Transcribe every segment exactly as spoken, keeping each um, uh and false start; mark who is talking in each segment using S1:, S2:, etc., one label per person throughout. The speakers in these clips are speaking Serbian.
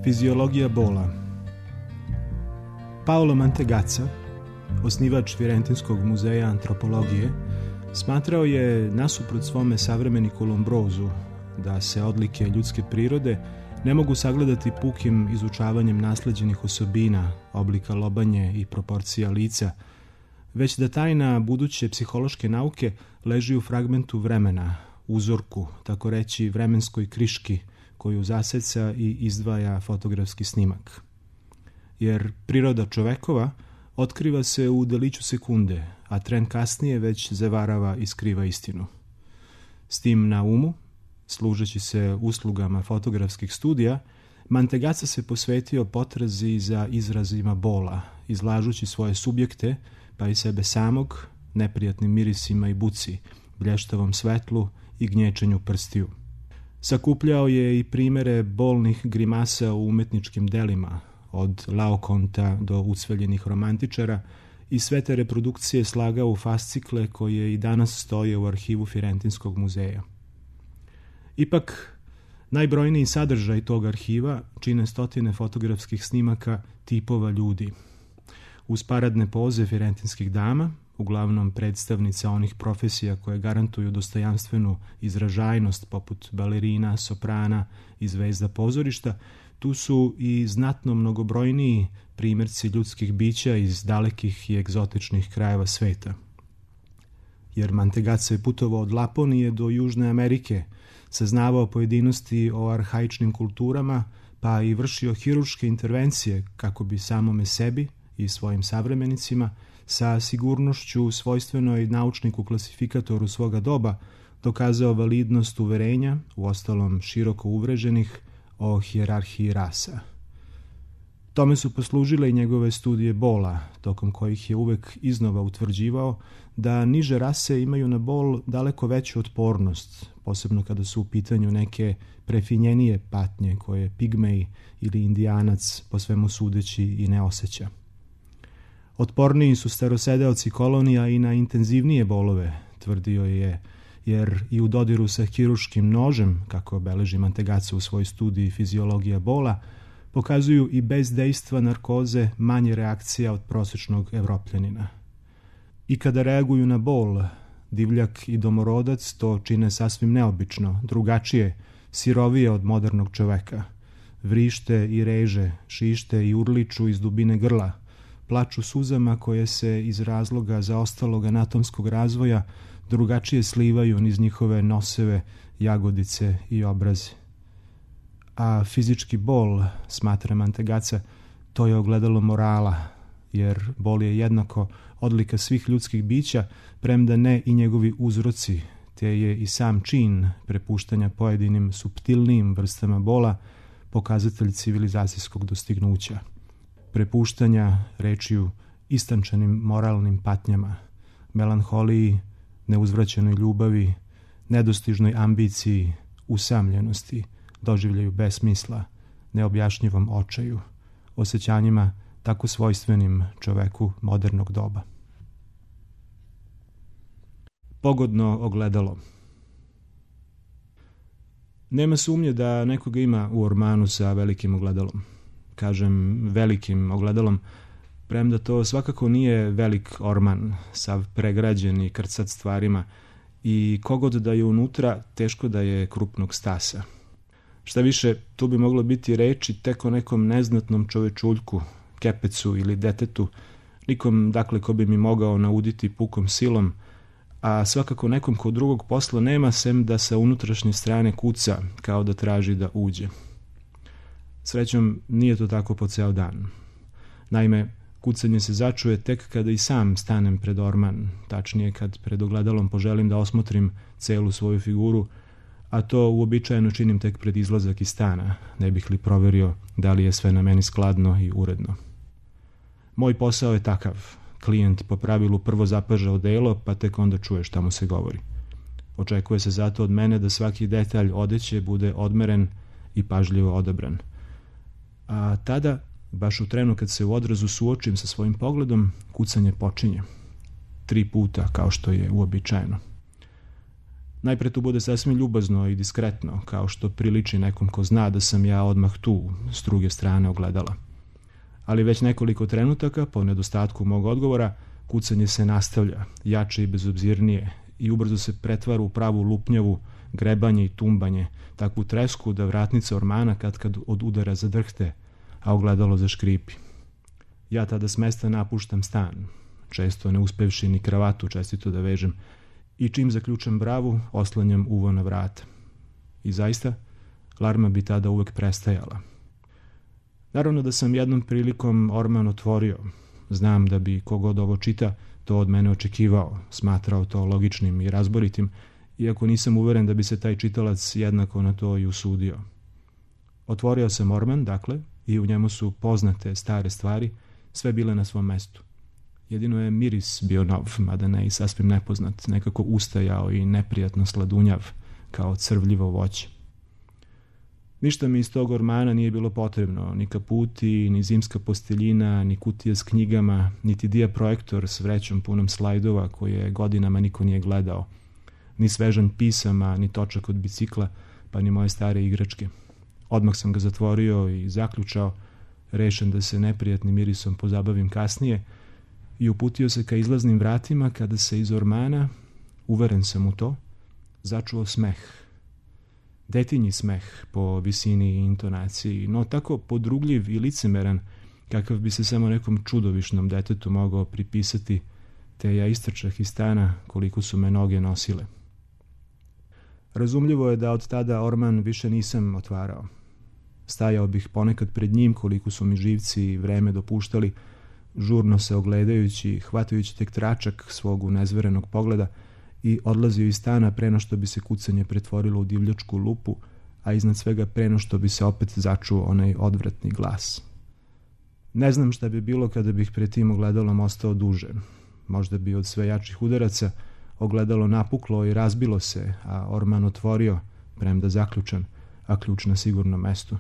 S1: Fiziologija bola. Paolo Mantegazza, osnivač Firentinskog muzeja antropologije, smatrao je, nasuprot svome savremeniku Lombrozu, da se odlike ljudske prirode ne mogu sagledati pukim izučavanjem nasleđenih osobina, oblika lobanje i proporcija lica, već da tajna buduće psihološke nauke leži u fragmentu vremena, uzorku, tako reći vremenskoj kriški, koju zaseca i izdvaja fotografski snimak. Jer priroda čovekova otkriva se u deliću sekunde, a tren kasnije već zavarava i skriva istinu. S tim na umu, služeći se uslugama fotografskih studija, Mantegazza se posvetio potrazi za izrazima bola, izlažući svoje subjekte, pa i sebe samog, neprijatnim mirisima i buci, blještavom svetlu i gnječenju prstiju. Sakupljao je i primere bolnih grimasa u umetničkim delima, od Laokonta do ucveljenih romantičara, i sve te reprodukcije slagao u fascikle koje i danas stoje u arhivu Firentinskog muzeja. Ipak, najbrojniji sadržaj tog arhiva čine stotine fotografskih snimaka tipova ljudi. Uz paradne poze firentinskih dama, uglavnom predstavnica onih profesija koje garantuju dostojanstvenu izražajnost poput balerina, soprana i zvezda pozorišta, tu su i znatno mnogobrojniji primjerci ljudskih bića iz dalekih i egzotičnih krajeva sveta. Jer Mantegazza je putovao od Laponije do Južne Amerike, saznavao pojedinosti o arhaičnim kulturama, pa i vršio hirurške intervencije kako bi samome sebi i svojim savremenicima sa sigurnošću svojstvenoj naučniku klasifikatoru svoga doba dokazao validnost uverenja, uostalom široko uvreženih, o hijerarhiji rasa. Tome su poslužile i njegove studije bola, tokom kojih je uvek iznova utvrđivao da niže rase imaju na bol daleko veću otpornost, posebno kada su u pitanju neke prefinjenije patnje koje pigmej ili indijanac po svemu sudeći i ne osjeća. Otporniji su starosedeoci kolonija i na intenzivnije bolove, tvrdio je, jer i u dodiru sa hirurškim nožem, kako obeleži Mantegazza u svojoj studiji Fiziologija bola, pokazuju i bez dejstva narkoze manje reakcija od prosječnog Evropljanina. I kada reaguju na bol, divljak i domorodac to čine sasvim neobično, drugačije, sirovije od modernog čoveka. Vrište i reže, šište i urliču iz dubine grla, plaču suzama koje se iz razloga zaostalog anatomskog razvoja drugačije slivaju niz njihove noseve, jagodice i obrazi. A fizički bol, smatra Mantegazza, to je ogledalo morala, jer bol je jednako odlika svih ljudskih bića, premda ne i njegovi uzroci, te je i sam čin prepuštanja pojedinim suptilnijim vrstama bola pokazatelj civilizacijskog dostignuća. Prepuštanja, rečju, istančanim moralnim patnjama, melanholiji, neuzvraćenoj ljubavi, nedostižnoj ambiciji, usamljenosti, doživljaju besmisla, neobjašnjivom očaju, osjećanjima tako svojstvenim čoveku modernog doba. Pogodno ogledalo. Nema sumnje da nekoga ima u ormanu sa velikim ogledalom. Kažem velikim ogledalom, premda to svakako nije velik orman, sav pregrađen i krcat stvarima, i kogod da je unutra, teško da je krupnog stasa. Šta više, tu bi moglo biti reči tek o nekom neznatnom čovečuljku, kepecu ili detetu, nikom dakle ko bi mi mogao nauditi pukom silom, a svakako nekom ko drugog posla nema sem da sa unutrašnje strane kuca, kao da traži da uđe. Srećom, nije to tako po ceo dan. Naime, kucanje se začuje tek kada i sam stanem pred orman, tačnije kad pred ogledalom poželim da osmotrim celu svoju figuru, a to uobičajeno činim tek pred izlazak iz stana, ne bih li proverio da li je sve na meni skladno i uredno. Moj posao je takav. Klijent po pravilu prvo zapaža odelo, pa tek onda čuje šta mu se govori. Očekuje se zato od mene da svaki detalj odeće bude odmeren i pažljivo odabran. A tada, baš u trenu kad se u odrazu suočim sa svojim pogledom, kucanje počinje. Tri puta, kao što je uobičajeno. Najpre tu bude sasvim ljubazno i diskretno, kao što priliči nekom ko zna da sam ja odmah tu, s druge strane ogledala. Ali već nekoliko trenutaka, po nedostatku mog odgovora, kucanje se nastavlja, jače i bezobzirnije, i ubrzo se pretvara u pravu lupnjavu, grebanje i tumbanje, takvu tresku da vratnica ormana katkad od udara zadrhte, a ogledalo zaškripi. Ja tada s mesta napuštam stan, često ne uspevši ni kravatu čestito da vežem, i čim zaključam bravu, oslanjam uvo na vrata. I zaista, larma bi tada uvek prestajala. Naravno da sam jednom prilikom orman otvorio. Znam da bi kogod ovo čita to od mene očekivao, smatrao to logičnim i razboritim, iako nisam uveren da bi se taj čitalac jednako na to i usudio. Otvorio sam orman, dakle, i u njemu su poznate stare stvari, sve bile na svom mestu. Jedino je miris bio nov, mada ne i sasvim nepoznat, nekako ustajao i neprijatno sladunjav, kao crvljivo voće. Ništa mi iz tog ormana nije bilo potrebno, ni kaputi, ni zimska posteljina, ni kutija s knjigama, niti dijaprojektor s vrećom punom slajdova koje godinama niko nije gledao, ni svežan pisama, ni točak od bicikla, pa ni moje stare igračke. Odmah sam ga zatvorio i zaključao, rešen da se neprijatnim mirisom pozabavim kasnije, i uputio se ka izlaznim vratima kada se iz ormana, uveren sam u to, začuo smeh. Detinji smeh po visini i intonaciji, no tako podrugljiv i licemeran, kakav bi se samo nekom čudovišnom detetu mogao pripisati, te ja istrčah iz stana koliko su me noge nosile. Razumljivo je da od tada orman više nisam otvarao. Stajao bih ponekad pred njim koliko su mi živci i vreme dopuštali, žurno se ogledajući, hvatajući tek tračak svog unezverenog pogleda i odlazio iz stana preno što bi se kucanje pretvorilo u divljačku lupu, a iznad svega preno što bi se opet začuo onaj odvratni glas. Ne znam šta bi bilo kada bih pred tim ogledalom ostao duže. Možda bi od sve jačih udaraca ogledalo napuklo i razbilo se, a orman otvorio, premda zaključan, a ključ na sigurnom mestu.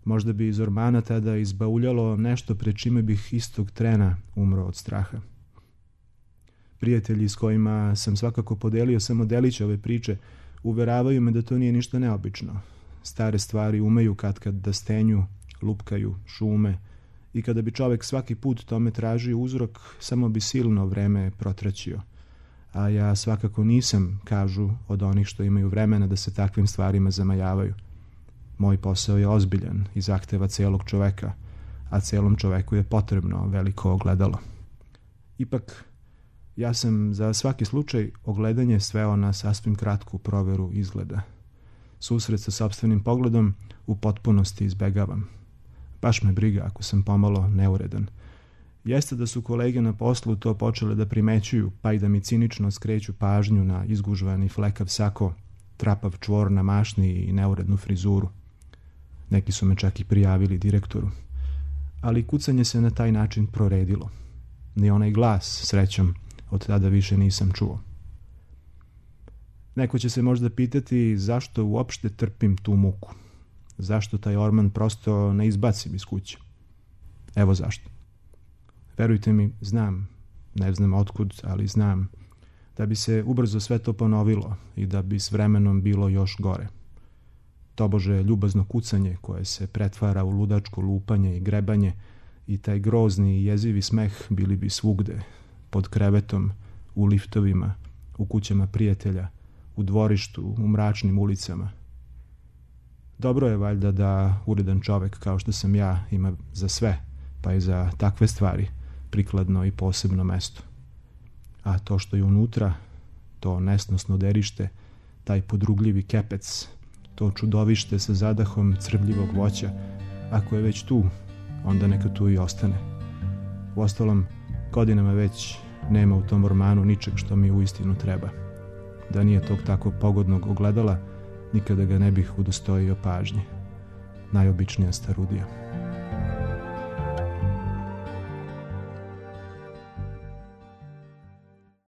S1: Možda bi iz ormana tada izbauljalo nešto pred čime bih istog trena umro od straha. Prijatelji s kojima sam svakako podelio samo delić ove priče uveravaju me da to nije ništa neobično. Stare stvari umeju katkad da stenju, lupkaju, šume, i kada bi čovek svaki put tome tražio uzrok, samo bi silno vreme protraćio. A ja svakako nisam, kažu, od onih što imaju vremena da se takvim stvarima zamajavaju. Moj posao je ozbiljan i zahteva celog čoveka, a celom čoveku je potrebno veliko ogledalo. Ipak, ja sam za svaki slučaj ogledanje sveo na sasvim kratku proveru izgleda. Susret sa sopstvenim pogledom u potpunosti izbegavam. Baš me briga ako sam pomalo neuredan. Jeste da su kolege na poslu to počele da primećuju, pa i da mi cinično skreću pažnju na izgužvani flekav sako, trapav čvor na mašni i neurednu frizuru. Neki su me čak i prijavili direktoru. Ali kucanje se na taj način proredilo. Ni onaj glas, srećom, od tada više nisam čuo. Neko će se možda pitati zašto uopšte trpim tu muku. Zašto taj orman prosto ne izbacim iz kuće. Evo zašto. Verujte mi, znam, ne znam otkud, ali znam, da bi se ubrzo sve to ponovilo i da bi s vremenom bilo još gore. Tobože ljubazno kucanje koje se pretvara u ludačko lupanje i grebanje i taj grozni i jezivi smeh bili bi svugde, pod krevetom, u liftovima, u kućama prijatelja, u dvorištu, u mračnim ulicama. Dobro je valjda da uredan čovek kao što sam ja ima za sve, pa i za takve stvari, prikladno i posebno mesto. A to što je unutra, to nesnosno derište, taj podrugljivi kepec, to čudovište sa zadahom crvljivog voća, ako je već tu, onda neka tu i ostane. Uostalom, godinama već nema u tom ormanu ničeg što mi uistinu treba. Da nije tog tako pogodnog ogledala, nikada ga ne bih udostojio pažnje. Najobičnija starudija.